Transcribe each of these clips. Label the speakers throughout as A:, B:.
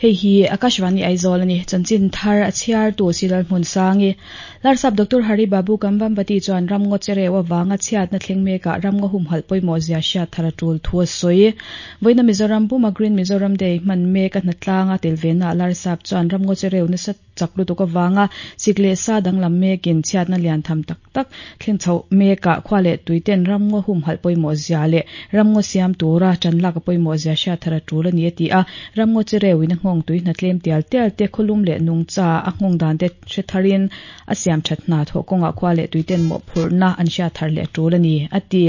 A: Hei hi Akashvani Aizawl a ni. Chanchin thar a chhiartu Silal Hmunsangi. Larsap Doctor Hari Babu Kambhampati chuan ramngaw chereu avanga chhiatna thleng mekah ramngaw humhalh pawimawh zia hriat thar a tul thu a sawi. Vawiina Mizoram puma Green Mizoram Day hman mek a hnatlanga tel venaah Larsap chuan ramngaw chereu nasa chak lutuk avanga sik leh sa danglam mekin chhiatna lian tham tak tak thleng chhoh mekah khua leh tuiten ramngaw humhalh pawimawh zia leh ramngaw siam tura tan lak a pawimawh zia hriat thar a tul a ni a ti a. Ramngaw chi reuin a nghawng tui hna tlem tial tial te, khawlum leh nungcha a nghawng dan te hre tharin a siam that hna thawh kawngah khua leh tuiten mawhphurhna an hriat thar leh a tul a ni a ti.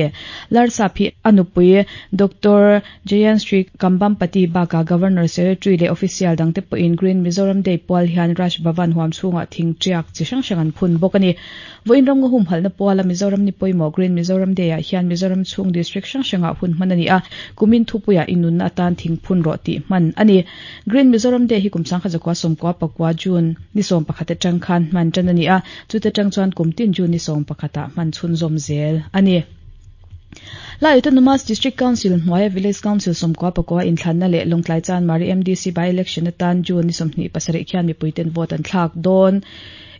A: Larsap hi a nupui Doctor Jayansri Kambhampati bakah Governor Secretary leh Official dangte pawhin Green Mizoram Day pual hian Raj Bhavan huam chhungah thing tiak chi hrang hrang an phun bawk a ni. Vawiin ramngaw humhalhna puala Mizoram ni pawimawh Green Mizoram Day ah hian Mizoram chhung District hrang hrangah hun hman a ni a, kumin thupuiah i nunna atan thing phun rawh tih hman a ni. Green Mizoram Day hi kum sangkhat zakua sawmkua pakua June ni 11 atang khan hman tan a ni a, chute tang chuan kum tin June ni 11 ah hman chhunzawm zel a ni. Lai Autonomous District Council hnuaia Village Council 94 inthlanna leh Lawngtlai Chanmari MDC by-election atan June ni 27 khian mipuiten vote an thlak dawn.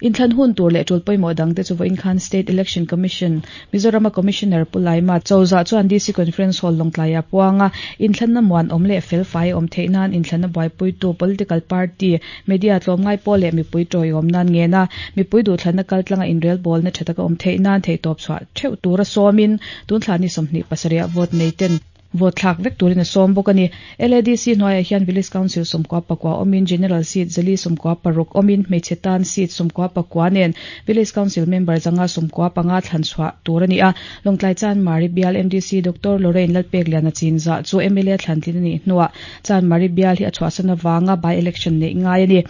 A: Inthlan hun tur leh tul pawimawh dangte chu vawiin khan State Election Commission, Mizorama Commissioner Pu Laima Chawza chuan DC Conference Hall Lawngtlai ah puang a, inthlanna muan awm leh fel fai a awm theih nan inthlanna buaipuitu political party, media tlawmngai pawh leh mipui tawiawm nan ngen a, mipui duhthlanna kaltlanga inrelbawlna tha taka awm theih nan theihtawp chhuah theuh tura sawmin tunthla ni 27 ah vote nei ten Vote thlak vek turin a sawm bawk a ni. LADC hnuaiah hian Village Council 99 awmin General Seat 496 awmin hmeichhe tan seat 94 nen Village Council member 595 thlan chhuah tur a ni a. Lawngtlai Chanmari bial MDC Doctor Lorraine Lalpekliana chinzah chu mla thlantlin a nih hnuah Chanmari bial hi a chhuahsan avanga by-election neih ngai a ni.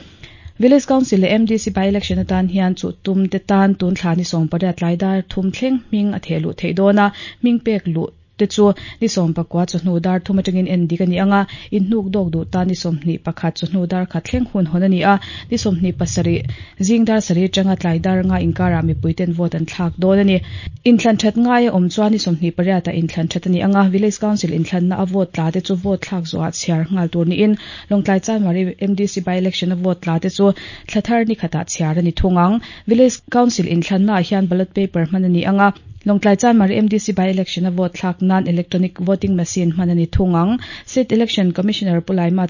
A: Village Council leh MDC by-election atan hian chuh tum te tan tun thla ni 18 tlai dar thum thleng hming a theh luh theih dawn a, hming pek luh te chu ni 19 chawhnu dar thum atangin en dik a ni ang a, inhnuk dawk duh tan ni 21 chawhnu dar khat thleng hun hawn a ni a, ni 27 zing dar sarih atanga tlai dar nga inkarah mipui ten vote an thlak dawn a ni. Inthlan that ngai a awm chuan ni 28 ah inthlan that a ni ang a, Village Council inthlanna a vote tla te chu vote thlak zawhah chhiar nghal tur niin Lawngtlai Chanmari MDC by-election a vote tla te chu thla thar ni khatah chhiar a ni thung ang. Village Council inthlannaah hian ballot paper hman a ni ang a, Lawngtlai Chanmari MDC by-election a vote thlak nan electronic voting machine hman a ni thung ang. State Election Commissioner Pu Laima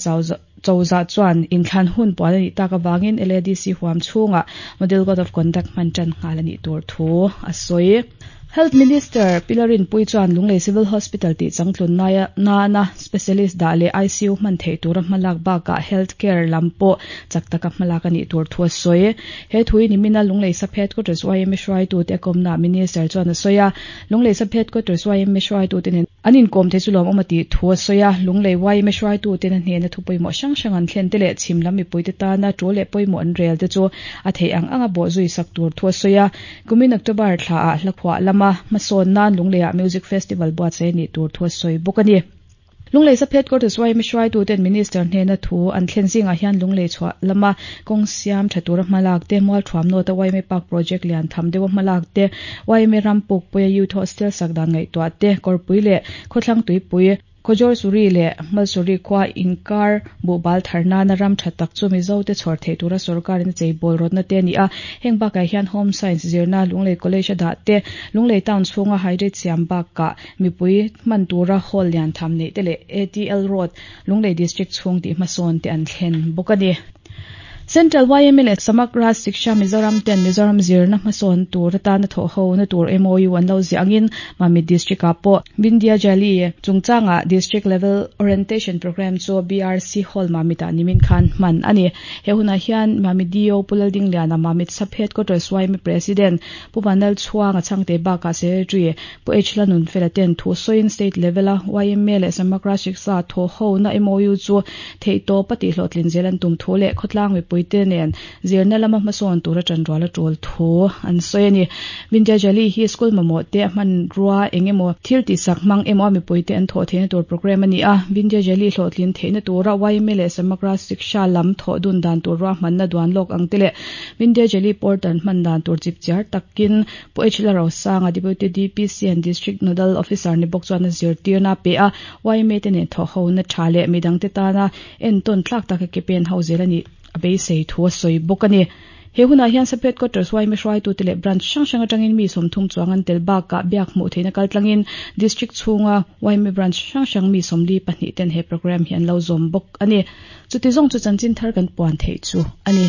A: Chauza chuan inthlan hun puan a nih tak avangin LADC huam chhungah Model Code of Conduct hman tan nghal a nih tur thu a sawi. Health Minister Pi Larinpui chuan Lunglei Civil Hospital tih changtlun nana Specialist dah leh ICU hman theih tura hmalak bakah Health Care lam pawh chak taka hmalak a nih tur thu a sawi. He thui nimina Lunglei Sub Headquarters YMA hruaitute a kawmnaah Minister chuan a sawi a, Lunglei Sub Headquarters YMA hruaitute nen an inkawm thei chu lawmawm a tih thu a sawi a. Lunglei YMA hruaituten a hnena thu pawimawh hrang hrang an thlen te leh chhim lam mipuite tana tul leh pawimawh an rel te chu a theih ang anga bawhzui sak tur thu a sawi a. Kumin October thlaah Hlakhuah lama hmasawn nan Lungleiah Music Festival buatsaih a nih tur thu a sawi bawk a ni. Lunglei Sub Headquarters YMA hruaituten Minister hnena thu an thlen zingah hian Lunglei chhuah lama kawng siam tha tura hmalak te, Mualthuam North-a YMA Park Project lian tham deuha hmalak te, YMA ram pukpuia Youth Hostel sak dan ngaihtuah te, Kawrpui leh Khawthlang Tuipui, Khawjawr Suri leh Hmalsuri khua inkar buhbal thar nana ram tha tak chu Mizote chhawr theih tura sorkarin a cheibawl rawtna te a ni a. Heng bakah hian Home Science zirna Lunglei College a dah te, Lunglei Town chhunga Hydrate siam bakah mipui hman tura hall lian tham neih te leh ATL Road, Lunglei District chhung tih hmasawn te an thlen bawk a ni. Central YMA leh Samagra Shiksha Mizoram ten Mizoram zirna hmasawn tur atana thawh ho na tur MOU an lo ziah angin Mamit District ah pawh Vindhya Jali chungchangah District Level Orientation Programme chu BRC Hall Mamit ah nimin khan hman a ni. He hunah hian Mamit DO Pu Laldingliana, Mamit Sub Headquarters YMA President Pu Vanlal Chhuanga Chhangte bakah Secretary Pu H Lanunfela ten thu sawiin State Level a YMA leh Samagra Shiksha thawh ho na MOU chu Theihtawp a tihhlawhtlin zel an tum thu leh khawtlang mipui. mipuite nen zirna lama hmasawn tura tanrual a tul thu an sawi a ni. Vindhyajali hi school mamawh te a hmanrua eng emaw thil tihsak hmang emaw a mipuite an thawh theihna tur programme a ni a. Vindhyajali hlawhtlin theihna tura yma leh Samagra Shiksha lam thawh dun dan tur ruahmanna duan lawk ang te leh Vindhyajali portal hman dan tur chipchiar takin Pu H Lalrosanga, Deputy DPC and District Nodal Officer ni bawk chuan a zirtirna a pe a, yma te nen thawh hona tha leh midangte tana entawn tlak taka ke pen ho zel a nih a beisei thu a sawi bawk a ni. He hunah hian Sub Headquarters yma hruaitute leh Branch hrang hrang atangin mi 30 chuang an tel bakah biak hmuh theihna kaltlangin District chhunga yma Branch hrang hrang mi 42 ten he programme hi an lo zawm bawk a ni. Chuti zawng chu chanchin thar kan puan theih chu a ni.